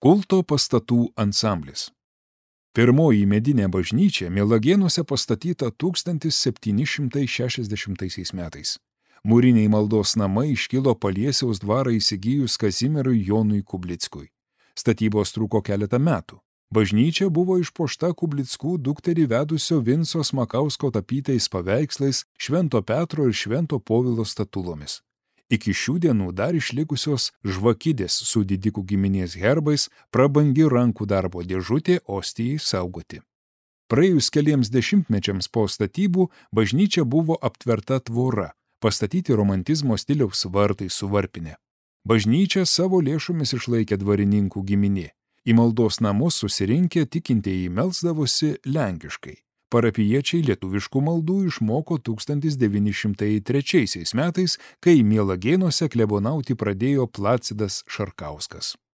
Kulto pastatų ansamblis. Pirmoji medinė bažnyčia Mielagėnuose pastatyta 1760 metais. Mūriniai maldos namai iškilo Paliesiaus dvarą įsigijus Kazimierui Jonui Kublickui. Statybos truko keletą metų. Bažnyčia buvo išpuošta Kublickų dukterį vedusio Vinco Smakausko tapytais paveikslais, Švento Petro ir Švento Povilo statulomis. Iki šių dienų dar išlikusios žvakidės su didikų giminės herbais, prabangi rankų darbo dėžutė ostijai saugoti. Praėjus keliems dešimtmečiams po statybų bažnyčia buvo aptverta tvora, pastatyti romantizmo stiliaus vartai su varpine. Bažnyčią savo lėšomis išlaikė dvarininkų giminė. Į maldos namus susirinkę tikintieji melsdavosi lenkiškai. Parapijiečiai lietuviškų maldų išmoko 1903 metais, kai Mielagėnuose klebonauti pradėjo Placidas Šarkauskas.